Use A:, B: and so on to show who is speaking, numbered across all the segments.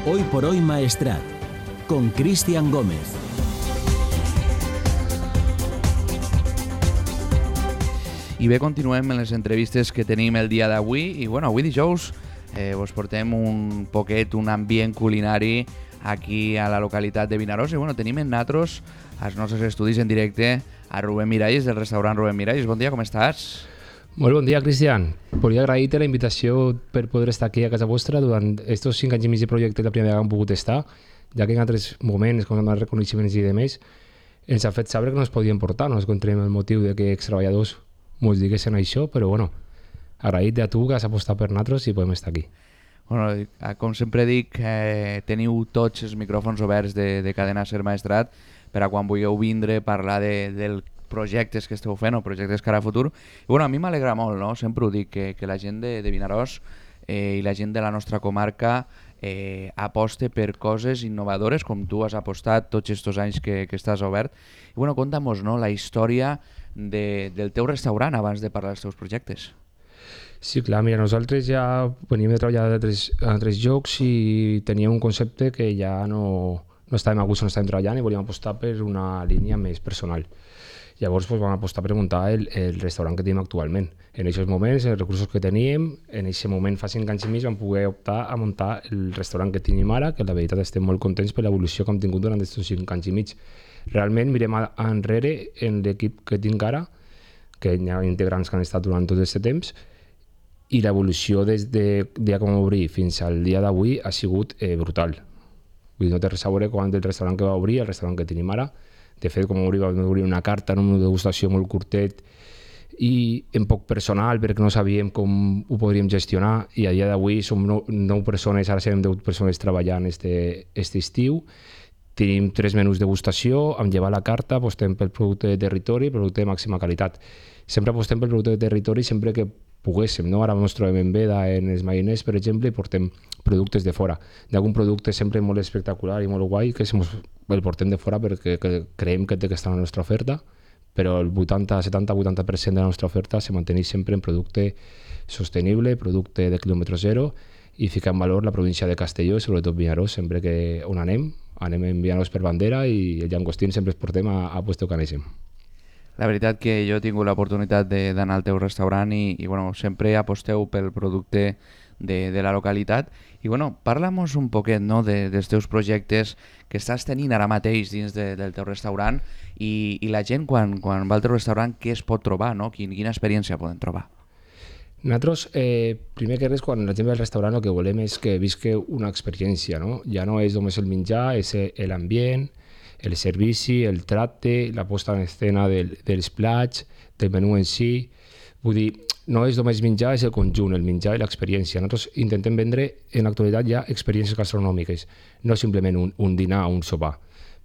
A: Hoy por hoy Maestrat, con Cristian Gómez.
B: I bé, continuem en les entrevistes que tenim el dia d'avui i avui dijous vos portem un poquet un ambient culinari aquí a la localitat de Vinaròs i tenim en nosaltres als nostres estudis en directe a Rubén Miralles del restaurant Rubén Miralles. Bon dia, com estàs?
C: Molt bon dia, Cristian. Volia agrair-te la invitació per poder estar aquí a casa vostra durant aquests 5 anys i mig de projecte, la primera vegada que hem pogut estar, ja que en altres moments, com els reconeixements i demés, ens ha fet saber que no es podien portar, no ens encontrem el motiu de que ex-treballadors mos diguessin això, però agraït a tu que has apostat per nosaltres i podem estar aquí.
B: Com sempre dic, teniu tots els micròfons oberts de Cadena Ser Maestrat per a quan vulgueu vindre a parlar dels projectes que esteu fent o projectes cara a futur. I a mi m'alegra molt, no? Sempre ho dic, que la gent de Vinaròs i la gent de la nostra comarca aposte per coses innovadores com tu has apostat tots aquests anys que estàs obert. I conta'm-nos, no, la història del teu restaurant abans de parlar dels teus projectes.
C: Sí, clar, mira, nosaltres ja veníem de treballar a altres llocs i teníem un concepte que ja no estàvem a gust on estàvem treballant i volíem apostar per una línia més personal. Llavors vam apostar per muntar el restaurant que tenim actualment. En aquests moments, els recursos que teníem, en aquest moment fa 5 anys i mig vam poder optar a muntar el restaurant que tenim ara, que la veritat estem molt contents per l'evolució que hem tingut durant aquests 5 anys i mig. Realment mirem enrere en l'equip que tinc ara, que hi ha integrants que han estat durant tot aquest temps, i l'evolució des del dia que vam obrir fins al dia d'avui ha sigut brutal. Vull dir, no té res a veure quan del restaurant que va obrir, el restaurant que tenim ara. De fet, com vam obrir una carta, una degustació molt curtet i en poc personal perquè no sabíem com ho podríem gestionar, i a dia d'avui som 9 persones, ara serem 10 persones treballant aquest estiu. Tenim 3 menús de degustació, amb llevar la carta, apostem pel producte de territori, producte de màxima qualitat. Sempre apostem pel producte de territori sempre que poguéssim, no? Ara ens trobem en veda en els mariners, per exemple, i portem productes de fora. D'algun producte sempre molt espectacular i molt guai que el portem de fora perquè creiem que té que estar en la nostra oferta, però el 70-80% de la nostra oferta se manteneix sempre en producte sostenible, producte de quilòmetre zero, i ficar en valor la província de Castelló i sobretot Vinaròs. Sempre que on anem en Vinaròs per bandera i el llangostín sempre es portem a puesto que anéssim.
B: La veritat que jo he tingut l'oportunitat d'anar al teu restaurant i sempre aposteu pel producte de la localitat. I parla-nos un poquet, no, dels teus projectes que estàs tenint ara mateix dins del teu restaurant i la gent quan va al teu restaurant què es pot trobar, no? Quina experiència poden trobar?
C: Nosaltres, primer que res, quan la gent ve al restaurant el que volem és que visqui una experiència, no? Ja no és només el menjar, és l'ambient, el servici, el tracte, la posta en escena dels plats, del menú en si. Vull dir, no és només menjar, és el conjunt, el menjar i l'experiència. Nosaltres intentem vendre en l'actualitat ja experiències gastronòmiques, no simplement un dinar o un sopar,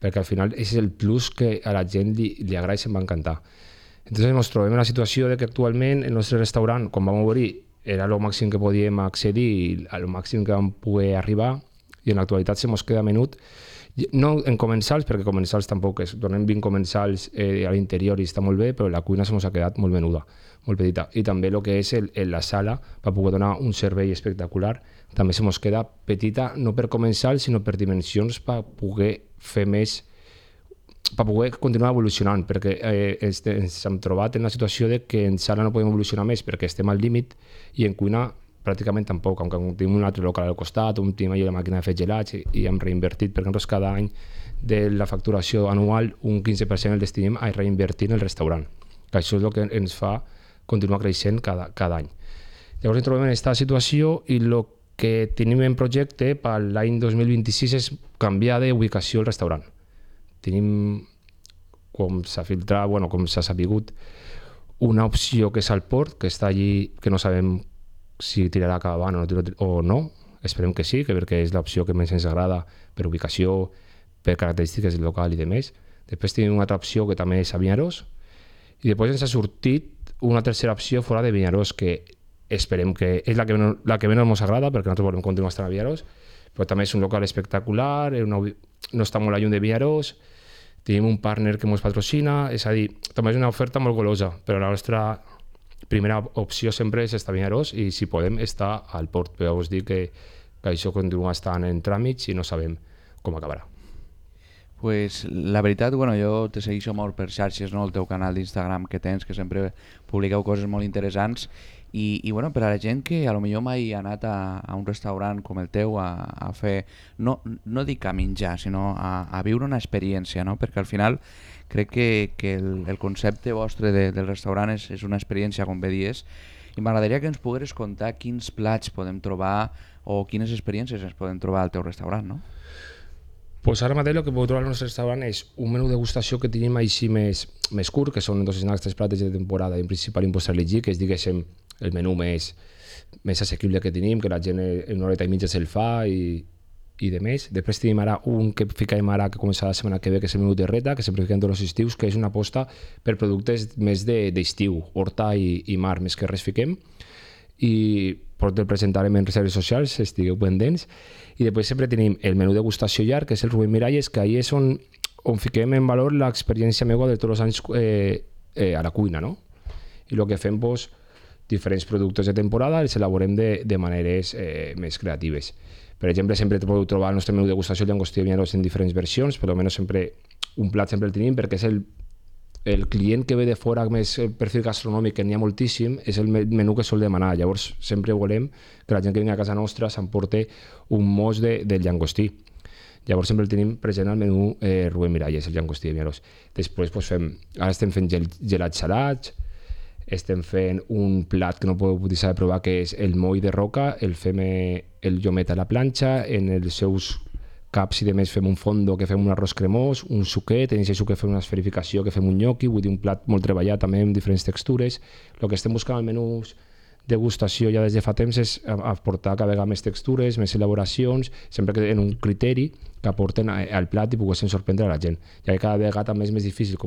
C: perquè al final és el plus que a la gent li agrada i se'n va encantar. Entonces ens trobem en la situació de que actualment el nostre restaurant, quan vam obrir, era el màxim que podíem accedir i el màxim que vam poder arribar, i en l'actualitat se mos queda menut. No en comensals, perquè comensals tampoc és. Donem 20 comensals a l'interior i està molt bé, però la cuina se mos ha quedat molt menuda, molt petita. I també el que és la sala, per poder donar un servei espectacular, també se mos queda petita, no per comensals, sinó per dimensions, per poder fer més, per poder continuar evolucionant, perquè ens hem trobat en la situació de que en sala no podem evolucionar més perquè estem al límit, i en cuina pràcticament tampoc, aunque tenim un altre local al costat, tenim allà la màquina de fer gelats i hem reinvertit, perquè nosaltres cada any de la facturació anual un 15% el destinem a reinvertir en el restaurant, que això és el que ens fa continuar creixent cada any. Llavors ens trobem en aquesta situació i el que tenim en projecte per l'any 2026 és canviar d'ubicació el restaurant. Tenim, com s'ha filtrat, com s'ha sapigut, una opció que és al port, que està allí, que no sabem si tirarà cap avant o no, esperem que sí, perquè és l'opció que més ens agrada per ubicació, per característiques del local i demés. Després tenim una altra opció que també és a Vinaròs, i després ens ha sortit una tercera opció fora de Vinaròs, que esperem que és la que menys ens agrada, perquè nosaltres volem continuar estant a Vinaròs, però també és un local espectacular, no està molt lluny de Vinaròs, tenim un partner que ens patrocina, és a dir, també és una oferta molt golosa, però la nostra primera opció sempre és estar a Vinaròs i si podem estar al port, però us dic que que això continua estant en tràmits i no sabem com acabarà.
B: Pues la veritat, bueno, jo te segueixo molt per xarxes, no? El teu canal d'Instagram que tens, que sempre publiqueu coses molt interessants i bueno, per a la gent que a lo millor mai ha anat a un restaurant com el teu a fer, no dic a menjar, sinó a viure una experiència, no? Perquè al final crec que el concepte vostre del restaurant és una experiència, com bé dies, i m'agradaria que ens pogueres contar quins plats podem trobar o quines experiències ens podem trobar al teu restaurant, no?
C: Pues ara mateix el que podeu trobar al nostre restaurant és un menú de degustació que tenim així més curt, que són 2 snacks, 3 plates de temporada i en principal impost elegir, que és, diguéssim, el menú més assequible que tenim, que la gent en una horeta i mitja se'l fa i de més. Després tenim ara un que ficarem ara, que començarà la setmana que ve, que és el menú terreta, que sempre fiquem tots els estius, que és una aposta per productes més d'estiu, horta i mar, més que res fiquem. I el presentarem en reserves socials, estigueu pendents. I després sempre tenim el menú degustació llarg, que és el Rubén Miralles, que ahir és on fiquem en valor l'experiència meva de tots els anys a la cuina, no? I el que fem, doncs, diferents productes de temporada els elaborem de maneres més creatives. Per exemple, sempre podeu trobar el nostre menú degustació el llangostí de Vinyaros en diferents versions, però almenys sempre un plat sempre el tenim, perquè és el client que ve de fora més el perfil gastronòmic, que n'hi ha moltíssim, és el menú que sol demanar. Llavors sempre volem que la gent que vingui a casa nostra s'emporti un mos del llangostí. Llavors sempre el tenim present al menú Rubén Miralles, el llangostí de Vinyaros. Després ara estem fent gelats salats, estem fent un plat que no podeu deixar de provar, que és el moll de roca, el fem el llomet a la planxa, en els seus caps i de més fem un fondo, que fem un arròs cremós, un suquet, en aquest suquet fem una esferificació, que fem un gnocchi, vull dir un plat molt treballat també amb diferents textures. El que estem buscant al menús degustació ja des de fa temps és aportar cada vegada més textures, més elaboracions, sempre que en un criteri que aporten al plat i poguessin sorprendre a la gent, ja que cada vegada també és més difícil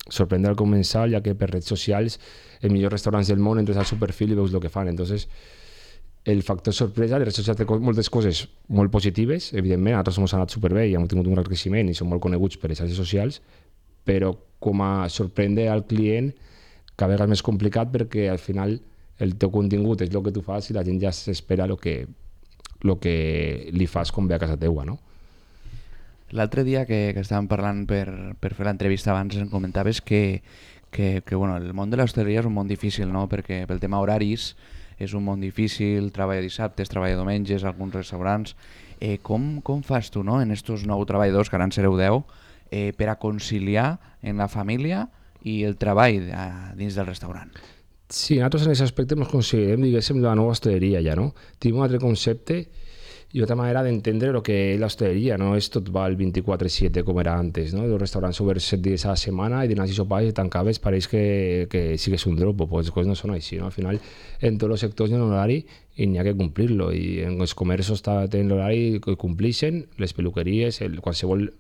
C: sorprendre al comensal, ja que per redes socials els millors restaurants del món entres al seu perfil i veus el que fan. Entonces el factor sorpresa, les redes socials té moltes coses molt positives, evidentment, nosaltres ens ha anat superbé i hem tingut un gran creixement i som molt coneguts per les xarxes socials, però com a sorprendre al client cada vegada és més complicat, perquè al final el teu contingut és el que tu fas i la gent ja s'espera el que li fas com ve a casa teua, no?
B: L'altre dia que estàvem parlant per fer l'entrevista abans em comentaves que bueno, el món de l'hostaleria és un món difícil, no? Perquè pel tema horaris és un món difícil, treballa dissabtes, treballa diumenges, alguns restaurants. Com fas tu, no? En estos 9 treballadors, que ara en sereu 10, per a conciliar en la família i el treball dins del restaurant?
C: Sí, nosaltres en aquest aspecte ens considerem, diguéssim, la nova hostaleria ja, no? Tenim un altre concepte i otra manera d'entendre el que és l'hostaleria, no és tot va el 24/7 com era antes, no? Els restaurants oberts 7 dies a la setmana i dinars i sopars i tancaves, pareix que sigues un dropo, pues les coses no són així, no? Al final, en tots els sectors hi ha un horari i n'hi ha que complir-lo, i en els comerços tenen l'horari que complixen, les peluqueries, qualsevol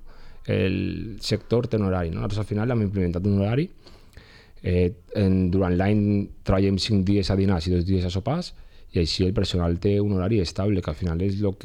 C: el sector té un horari, no? Nosaltres al final hem implementat un horari, durant l'any treballem 5 dies a dinars i 2 dies a sopars, i així el personal té un horari estable, que al final és el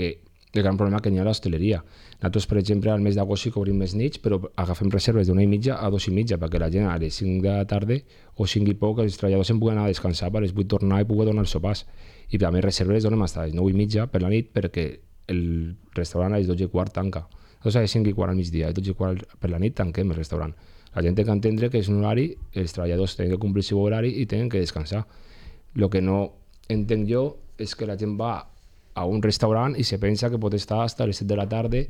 C: gran problema que hi ha a l'hostaleria. Nosaltres, per exemple, al mes d'agost sí que obrim més nits, però agafem reserves d'1:30 a 2:30, perquè la gent a les 5 de la tarda o 5 i poc, els treballadors se'n puguen anar a descansar per les 8 tornar i poder donar els sopars. I també reserves les donem fins a les 9:30 per la nit, perquè el restaurant a les 12:15 tanca. Llavors a les 5:15 al migdia, a les 12:15 per la nit tanquem el restaurant. La gent té que entendre que és un horari, els treballadors tenen que complir el seu horari i tenen que descansar. El que no entenc jo és que la gent va a un restaurant i se pensa que pot estar fins a les 7 de la tarda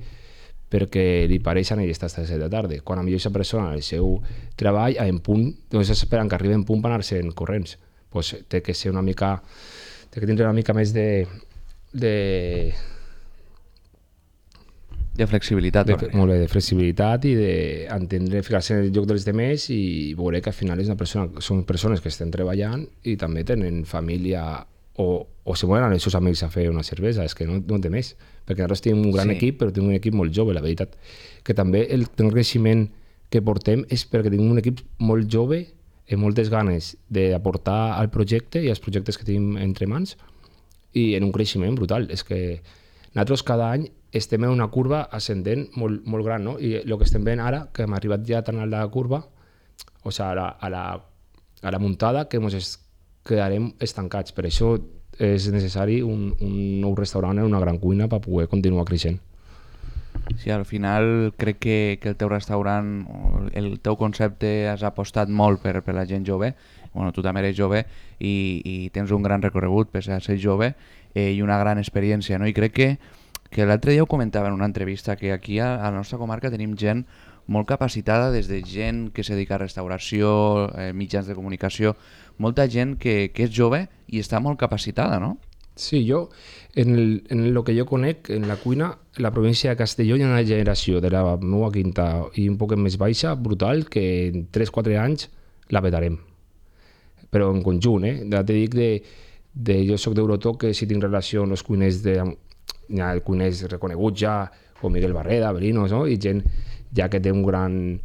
C: perquè li pareix anar i estar fins a les 7 de la tarda, quan a millor aquesta persona el seu treball en punt, doncs esperen que arribi en punt per anar-se'n corrents. Pues té que ser una mica, té que tindre una mica més de
B: flexibilitat.
C: Molt bé, de flexibilitat i d'entendre, ficar-se en el lloc dels demés i veure que al final són persones que estan treballant i també tenen família o se volen anar els seus amics a fer una cervesa, és que no té més, perquè nosaltres tenim un gran equip, però tenim un equip molt jove, la veritat. Que també el creixement que portem és perquè tenim un equip molt jove amb moltes ganes d'aportar al projecte i als projectes que tenim entre mans i en un creixement brutal. És que nosaltres cada any estem en una curva ascendent molt gran, no? I el que estem veient ara, que hem arribat ja tan a la curva, o sigui, a la muntada, que ens quedarem estancats. Per això és necessari un nou restaurant en una gran cuina per poder continuar creixent.
B: Sí, al final crec que el teu restaurant, el teu concepte has apostat molt per la gent jove. Bueno, tu també eres jove i tens un gran recorregut per ser jove i una gran experiència, no? I crec que l'altre dia ho comentava en una entrevista, que aquí a la nostra comarca tenim gent molt capacitada, des de gent que se dedica a restauració, mitjans de comunicació, molta gent que és jove i està molt capacitada, no?
C: Sí, jo, en el que jo conec, en la cuina, en la província de Castelló hi ha una generació de la meva quinta i un poc més baixa, brutal, que en 3-4 anys la petarem. Però en conjunt, ja t'he dit jo soc d'Eurotoc, que si tinc relació amb els cuiners, hi ha cuiners reconeguts ja, com Miguel Barreda, Belinos, no? I gent ja que té un gran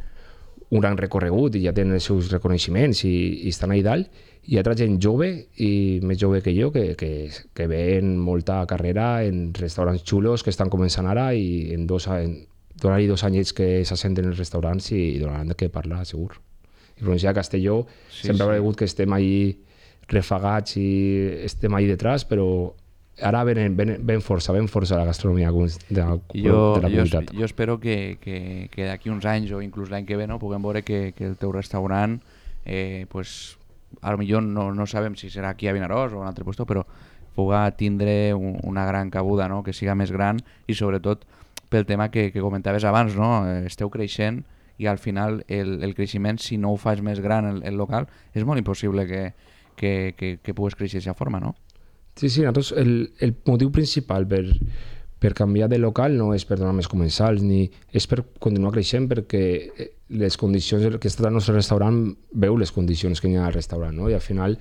C: recorregut i ja tenen els seus reconeixements i estan allà dalt, i altra gent jove i més jove que jo que ven molta carrera en restaurants xulos que estan començant ara i donar-hi 2 anyets que s'assenten en els restaurants i donaran de què parlar, segur. I província de Castelló sempre ha hagut que estem ahí refagats i estem ahí detrás, però ara ven força la gastronomia de la comunitat.
B: Jo espero que d'aquí uns anys o inclús l'any que ve, no, puguem veure que el teu restaurant pues, a lo millor no sabem si serà aquí a Vinaròs o a un altre lloc, però puga tindre una gran cabuda, no? Que siga més gran i sobretot pel tema que comentaves abans, no? Esteu creixent i al final el creixement, si no ho fas més gran el local, és molt impossible que pugues créixer d'aquesta forma, no?
C: Sí, nosaltres el motiu principal per canviar de local no és per donar més comensals, ni és per continuar creixent, perquè les condicions que està al nostre restaurant veu les condicions que hi ha al restaurant, no? I al final,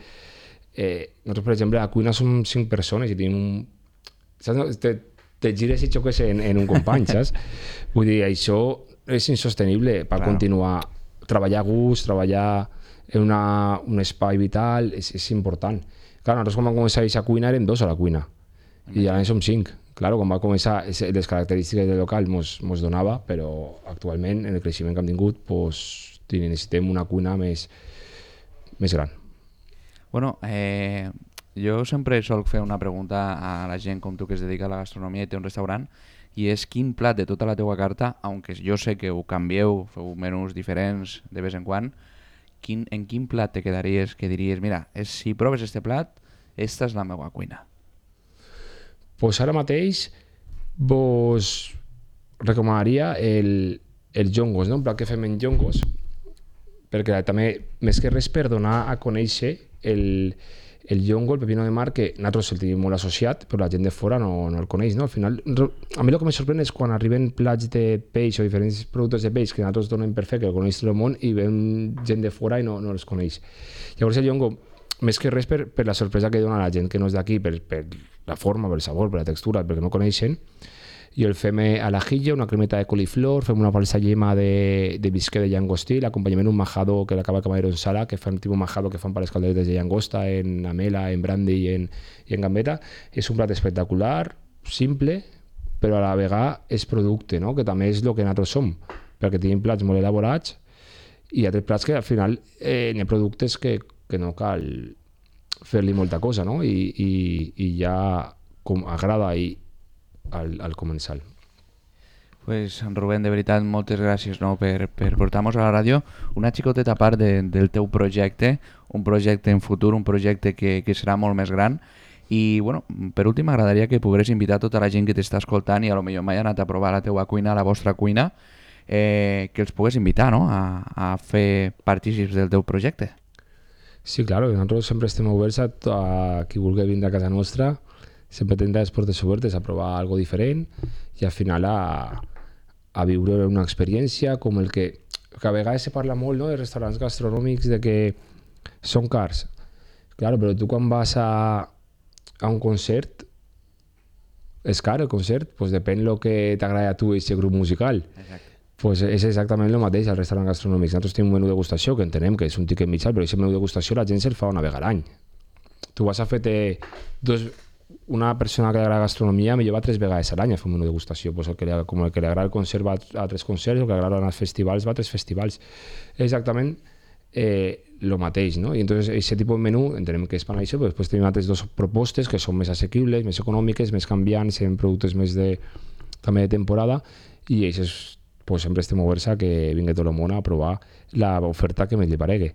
C: nosaltres, per exemple, a la cuina som 5 persones i tenim te gires i xoques en un company, saps? Vull dir, això és insostenible per continuar, treballar a gust, treballar en un espai vital, és important. Clar, nosaltres quan vam començar a cuina érem 2 a la cuina i ara som 5. Clar, quan va començar, les característiques del local mos donava, però actualment, en el creixement que hem tingut, necessitem una cuina més gran.
B: Bueno, jo sempre solc fer una pregunta a la gent com tu que es dedica a la gastronomia i té un restaurant, i és quin plat de tota la teua carta, aunque jo sé que ho canvieu, feu menús diferents de vez en quan, en quin plat te quedaries que diries, mira, si proves este plat, esta és la meva cuina?
C: Pues ara mateix vos recomanaria el llongos, no? Un plat que fem en llongos, perquè també, més que res, per donar a conèixer el llongo, el pepino de mar, que nosaltres el tenim molt associat, però la gent de fora no el coneix, no? Al final, a mi el que em sorprèn és quan arriben plats de peix o diferents productes de peix que nosaltres donem per fet, que el coneix tot el món, i ven gent de fora i no els coneix. Llavors el llongo, més que res per la sorpresa que dona la gent que no és d'aquí, per la forma, per el sabor, per la textura, perquè no coneixen, i el fem a l'ajillo, una cremeta de coliflor, fem una falsa llema de bisquet de llangostí, l'acompanyament un majado que l'acaba camarero en sala, que fan tipus majado que fan per les calderetes de llangosta, en amela, en brandy i en gambeta. És un plat espectacular, simple, però a la vegada és producte, no? Que també és el que nosaltres som, perquè tenim plats molt elaborats i altres plats que al final hi ha productes que no cal fer-li molta cosa, no? I ja com agrada al comensal.
B: Pues, Rubén, de veritat, moltes gràcies, no, per portar-nos a la ràdio una xicoteta part del teu projecte, un projecte en futur, un projecte que serà molt més gran. I, bueno, per últim, m'agradaria que pogués invitar tota la gent que t'està escoltant i a lo millor mai ha anat a provar la teua cuina, la vostra cuina, que els pogués invitar, no?, a fer partícips del teu projecte.
C: Sí, claro, nosaltres sempre estem oberts a qui vulgui vindre a casa nostra. Sempre tindrà les portes obertes a provar algo diferent i al final a viure una experiència com el que a vegades se parla molt, no?, de restaurants gastronòmics, de que són cars. Claro, però tu quan vas a un concert, és car el concert? Pues depèn del que t'agrada a tu aquest grup musical.
B: Exacte.
C: Pues és exactament el mateix al restaurant gastronòmic. Nosaltres tenim un menú de degustació que entenem que és un tiquet mitjà, però aquest menú de degustació la gent se'l fa una vegada a l'any. Tu vas a fer-te una persona que li agrada gastronomia millor va 3 vegades a l'any a fer un menú de degustació, pues com el que li agrada el concert va a 3 concerts, el que li agrada anar als festivals va a 3 festivals. Exactament lo mateix, no? I entonces aquest tipus de menú entenem que és per això, però després tenim altres dues propostes que són més assequibles, més econòmiques, més canviants, en productes més també de temporada, i això és, pues, sempre estem oberts a que vingui tot el món a provar l'oferta que més li paregui.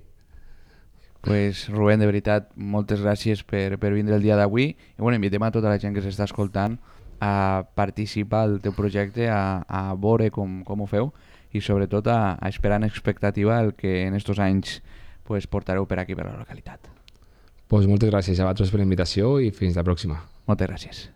B: Pues, Rubén, de veritat, moltes gràcies per vindre el dia d'avui i bueno, invitem a tota la gent que s'està escoltant a participar al teu projecte, a veure com ho feu i sobretot a esperar en expectativa el que en estos anys pues, portareu per aquí, per la localitat.
C: Pues moltes gràcies a vosaltres per la invitació i fins la pròxima.
B: Moltes gràcies.